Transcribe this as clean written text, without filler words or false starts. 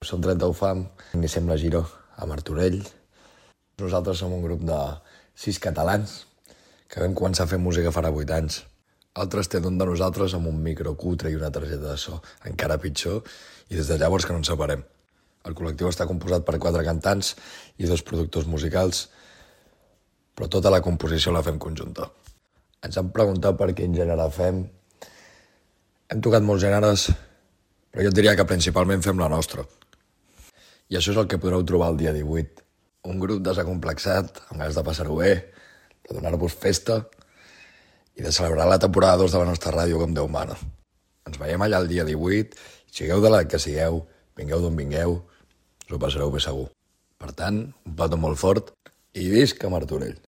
Som 30 Fam, iniciem la Giro a Martorell. Nosaltres som un grup de 6 catalans que vam començar a fer música farà 8 anys. Altres tenen un de nosaltres amb un micro cutre i una targeta de so encara pitjor, i des de llavors que no ens separem. El col·lectiu està composat per 4 cantants i 2 productors musicals, però tota la composició la fem conjunta. Ens han preguntat per quin gènere fem. Hem tocat molts gèneres, però jo et diria que principalment fem la nostra. I això és el que podreu trobar el dia 18. Un grup desacomplexat, amb ganes de passar-ho bé, de donar-vos festa i de celebrar la temporada 2 de la nostra ràdio com Déu mana. Ens veiem allà el dia 18, i sigueu de l'edat que sigueu, vingueu d'on vingueu, us ho passareu bé segur. Per tant, un petó molt fort i visca Martorell!